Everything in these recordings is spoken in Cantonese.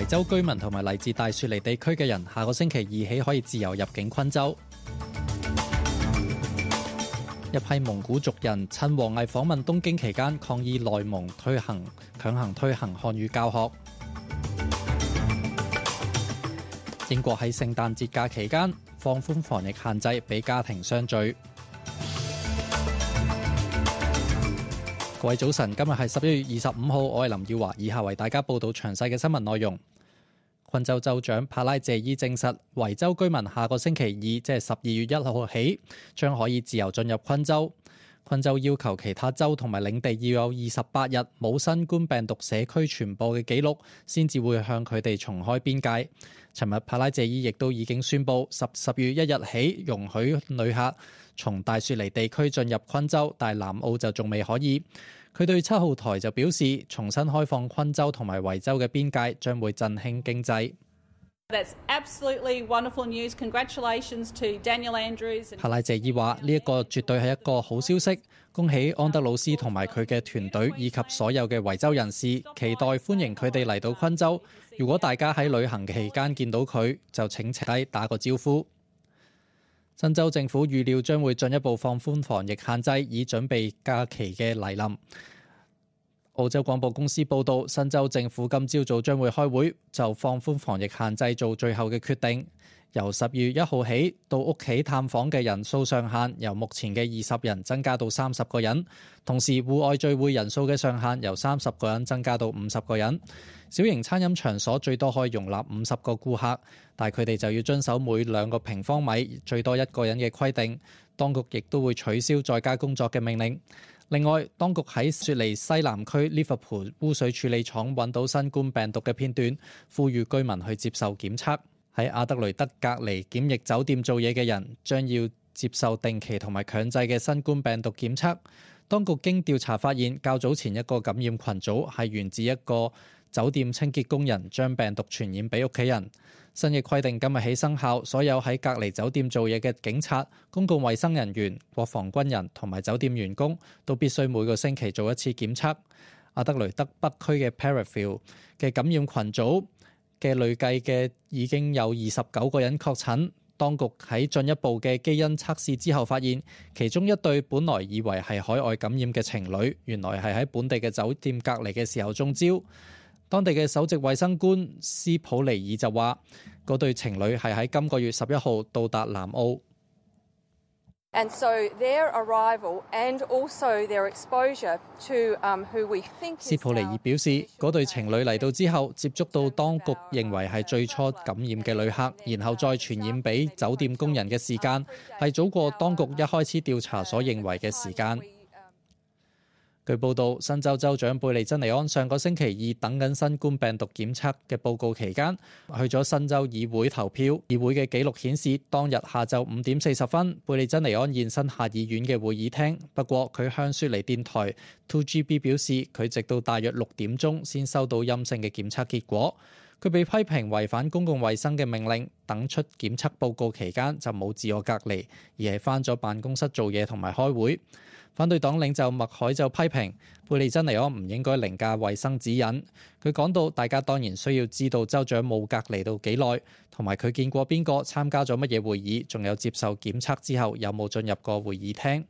州居民同埋嚟自大雪梨地區嘅人，下個星期2起可以自由入境昆州。一批蒙古族人趁王毅訪問東京期間抗議內蒙強行推行漢語教學。英國喺聖誕節假期間放寬防疫限制，俾家庭相聚。各位早晨，今日係11月25號，我係林耀華，以下為大家報道詳細嘅新聞內容。昆州州長帕拉謝伊證實，維州居民下個星期2，即係12月1號起，將可以自由進入昆州。昆州要求其他州同埋領地要有28日冇新冠病毒社區傳播嘅記錄，先至會向佢哋重開邊界。尋日帕拉謝伊亦都已經宣布10月1日起容許旅客從大雪梨地區進入昆州，但係南澳就仲未可以。佢對7號台就表示，重新開放昆州同埋維州嘅邊界將會振興經濟。That's absolutely wonderful news. Congratulations to Daniel Andrews. 帕拉謝伊話：呢一個絕對係一個好消息，恭喜安德魯斯同埋佢嘅團隊以及所有嘅維州人士，期待歡迎佢哋嚟到昆州。如果大家喺旅行期間見到佢，就請停低打個招呼。新州政府預料將會進一步放寬防疫限制，以準備假期嘅來臨。澳洲廣播公司報道，新州政府今朝早將會開會，就放寬防疫限制做最後嘅決定。由10月1號起，到屋企探訪嘅人數上限由目前嘅20人增加到30個人，同時戶外聚會人數嘅上限由30個人增加到50個人。小型餐飲場所最多可以容納50個顧客，但佢哋就要遵守每2個平方米最多1個人嘅規定。當局亦都會取消在家工作嘅命令。另外，當局喺雪梨西南區 Liverpool 污水處理廠揾到新冠病毒嘅片段，呼籲居民去接受檢測。喺阿德雷德隔離檢疫酒店做嘢嘅人將要接受定期同埋強制嘅新冠病毒檢測。當局經調查發現，較早前一個感染群組係源自一個酒店清潔工人將病毒傳染俾屋企人。新嘅規定今日起生效，所有喺隔離酒店做嘢嘅警察、公共衛生人員、國防軍人同埋酒店員工都必須每個星期做一次檢測。阿德雷德北區嘅 Parafield 嘅感染群組嘅累計嘅已經有29個人確診。當局喺進一步嘅基因測試之後發現，其中一對本來以為係海外感染嘅情侶，原來係喺本地嘅酒店隔離嘅時候中招。當地嘅首席衛生官斯普尼爾就話，嗰對情侶係喺今個月11號到達南澳。And so their arrival and also their exposure to who we think。斯普尼爾表示，嗰對情侶嚟到之後，接觸到當局認為係最初感染嘅旅客，然後再傳染俾酒店工人嘅時間，係早過當局一開始調查所認為嘅時間。據報道，新州州長貝利珍尼安上個星期2等緊新冠病毒檢測嘅報告期間，去咗新州議會投票。議會嘅記錄顯示，當日下晝5點40分，貝利珍尼安現身下議院嘅會議廳。不過佢向雪梨電台 2GB 表示，佢直到大約6點鐘先收到陰性嘅檢測結果。佢被批評違反公共衛生嘅命令，等出檢測報告期間就冇自我隔離，而係返咗辦公室做嘢同埋開會。反對黨領袖麥凱就批評貝利珍尼安唔應該凌駕衛生指引。佢講到，大家當然需要知道州長冇隔離到幾耐，同埋佢見過邊個參加咗乜嘢會議，仲有接受檢測之後有冇進入過會議廳。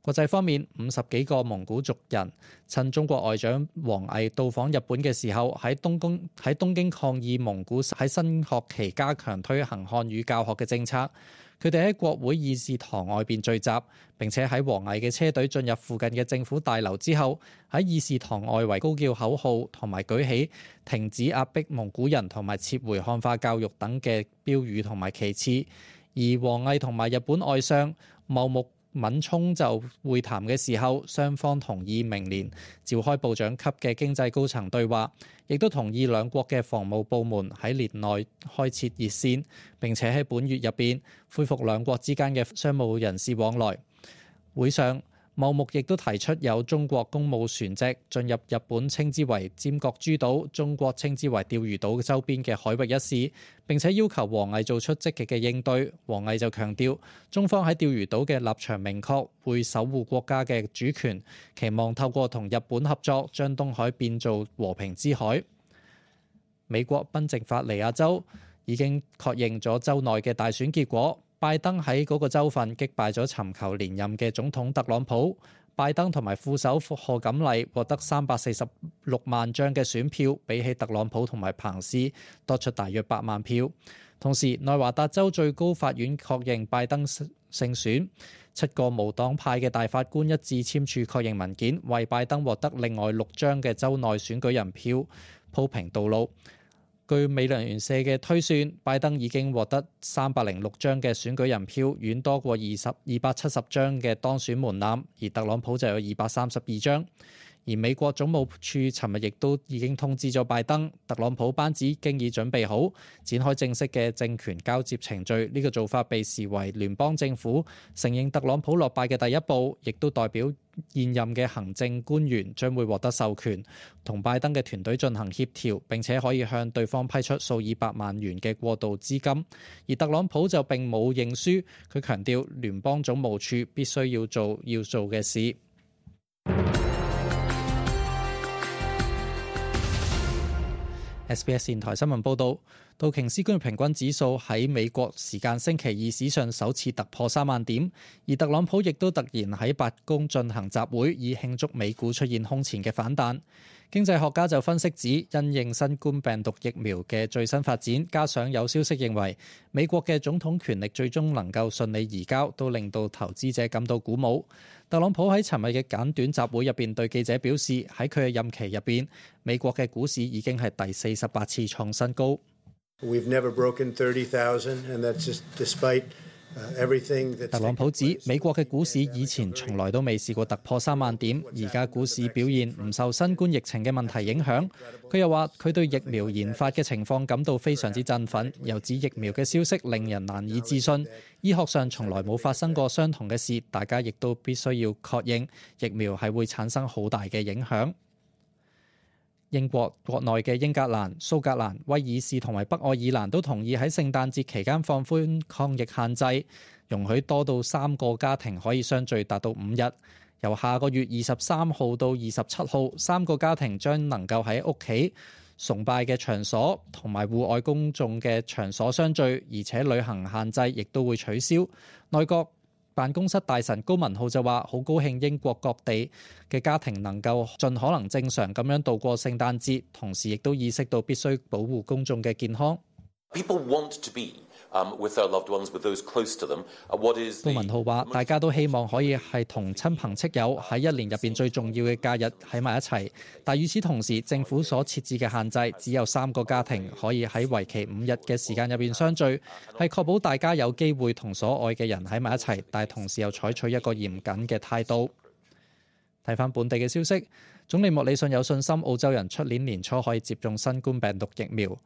國際方面，50幾個蒙古族人趁中國外長王毅到訪日本嘅時候，喺東京抗議蒙古喺新學期加強推行漢語教學嘅政策。佢哋喺國會議事堂外邊聚集，並且喺王毅嘅車隊進入附近嘅政府大樓之後，喺議事堂外圍高叫口號，同埋舉起停止壓迫蒙古人同埋撤回漢化教育等嘅標語同埋旗幟。而王毅同埋日本外相茂木敏充就會談嘅時候，雙方同意明年召開部長級嘅經濟高層對話，亦都同意兩國嘅防務部門喺年內開設熱線，並且喺本月入邊恢復兩國之間嘅商務人士往來。會上，茂木亦都提出有中國公務船隻進入日本稱之為尖閣諸島、中國稱之為釣魚島周邊嘅海域一事，並且要求王毅做出積極嘅應對。王毅就強調，中方喺釣魚島嘅立場明確，會守護國家嘅主權，期望透過同日本合作，將東海變做和平之海。美國賓夕法尼亞州已經確認咗州內嘅大選結果，拜登喺嗰個州份擊敗咗尋求連任嘅總統特朗普。拜登同埋副手賀錦麗獲得346萬張嘅選票，比起特朗普同埋彭斯多出大約8萬票。同時，內華達州最高法院確認拜登勝選，7個無黨派嘅大法官一致簽署確認文件，為拜登獲得另外6張嘅州內選舉人票鋪平道路。據美聯社嘅推算，拜登已經獲得306張嘅選舉人票，遠多過270張嘅當選門檻，而特朗普就有232張。而美國總務處尋日亦都已經通知咗拜登，特朗普班子經已準備好展開正式嘅政權交接程序。呢個做法被視為聯邦政府承認特朗普落敗嘅第一步，亦都代表現任嘅行政官員將會獲得授權，同拜登嘅團隊進行協調，並且可以向對方批出數以百萬元嘅過渡資金。而特朗普就並冇認輸，佢強調聯邦總務處必須要做嘅事。SBS 電台新聞報導，道瓊斯工業平均指數喺美國時間星期二史上首次突破3萬點，而特朗普亦都突然喺白宮進行集會，以慶祝美股出現空前嘅反彈。經濟學家就分析指，因應新冠病毒疫苗嘅最新發展，加上有消息認為美國嘅總統權力最終能夠順利移交，都令到投資者感到鼓舞。特朗普喺尋日嘅簡短集會入邊對記者表示，喺佢嘅任期入邊，美國嘅股市已經係第48次創新高。We've never broken 30,000, and that's just despite特朗普指美國嘅股市以前從來都未試過突破3萬點，而家股市表現唔受新冠疫情嘅問題影響。佢又話佢對疫苗研發嘅情況感到非常之振奮，又指疫苗嘅消息令人難以置信。醫學上從來冇發生過相同嘅事，大家亦都必須要確認疫苗係會產生好大嘅影響。英國國內嘅英格蘭、蘇格蘭、威爾士同埋北愛爾蘭都同意喺聖誕節期間放寬抗疫限制，容許多到3個家庭可以相聚達到5日。由下個月23號到27號，3個家庭將能夠喺屋企、崇拜嘅場所同埋戶外公眾嘅場所相聚，而且旅行限制亦都會取消。內閣辦公室大臣高文浩就話：好高興英國各地嘅家庭能夠盡可能正常咁樣度過聖誕節，同時亦都意識到必須保護公眾嘅健康。高文浩話：大家都希望可以係同親朋戚友喺一年入邊最重要嘅假日喺埋一齊，但與此同時，政府所設置嘅限制只有3個家庭可以喺為期5日嘅時間入邊相聚，係確保大家有機會同所愛嘅人喺埋一齊，但同時又採取一個嚴謹嘅態度。睇返本地嘅消息，總理莫里遜有信心澳洲人出年年初可以接種新冠病毒疫苗。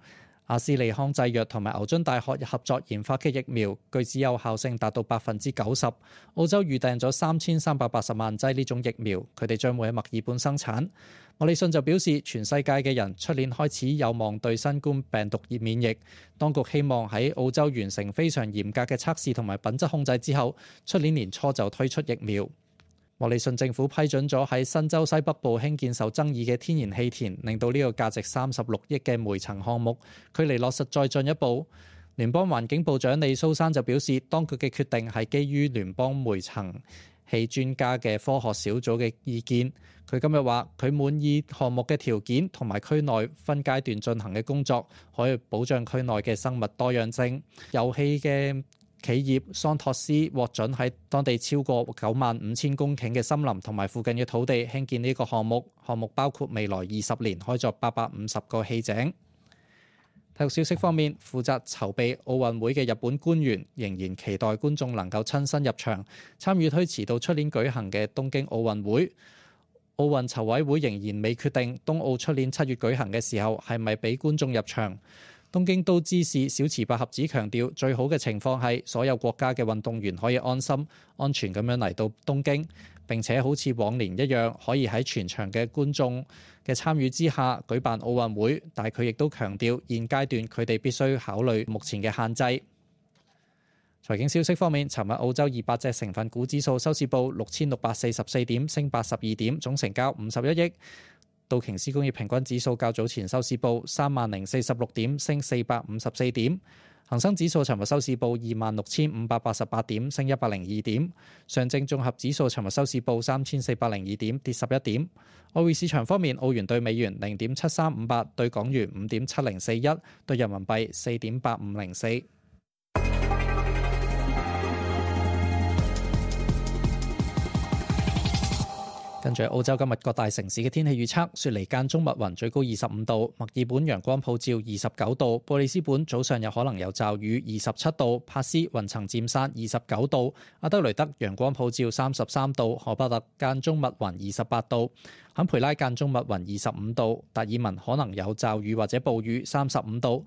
阿斯利康製藥同埋牛津大學合作研發嘅疫苗，據指有效性達到90%。澳洲預訂咗3380萬劑呢種疫苗，佢哋將會喺墨爾本生產。莫里遜就表示，全世界嘅人出年開始有望對新冠病毒免疫。當局希望喺澳洲完成非常嚴格嘅測試同埋品質控制之後，出年年初就推出疫苗。莫里遜政府批准咗喺新州西北部興建受爭議嘅天然氣田，令到呢個價值36億嘅煤層項目距離落實再進一步。聯邦環境部長李蘇珊就表示，當局嘅決定係基於聯邦煤層氣專家嘅科學小組嘅意見。佢今日話佢滿意項目嘅條件同埋區內分階段進行嘅工作，可以保障區內嘅生物多樣性。油氣嘅企業桑托斯獲准喺當地超過95,000公頃嘅森林同埋附近嘅土地興建呢個項目，項目包括未來20年開鑿850個氣井。體育消息方面，負責籌備奧運會嘅日本官員仍然期待觀眾能夠親身入場參與推遲到出年舉行嘅東京奧運會。奧運籌委會仍然未決定東奧出年7月舉行嘅時候係咪俾觀眾入場。東京都知事小池百合子強調，最好嘅情況係所有國家嘅運動員可以安心、安全咁樣嚟到東京，並且好似往年一樣，可以喺全場嘅觀眾嘅參與之下舉辦奧運會。但係佢亦都強調，現階段佢哋必須考慮目前嘅限制。財經消息方面，尋日澳洲200隻成分股指數收市報6644點，升82點，總成交51億。道瓊斯工業平均指數較早前收市報30,046點，升454點。恒生指數尋日收市報26,588點，升102點。上證綜合指數尋日收市報3,402點，跌11點。外匯市場方面，澳元對美元0.7358，對港元5.7041，對人民幣4.8504。跟住澳洲今日各大城市嘅天氣預測：雪梨間中密雲，最高25度；墨爾本陽光普照29度；布里斯本早上有可能有驟雨27度；帕斯雲層漸散29度；阿德雷德陽光普照33度；荷伯特間中密雲28度；坎培拉間中密雲25度；達爾文可能有驟雨或者暴雨35度；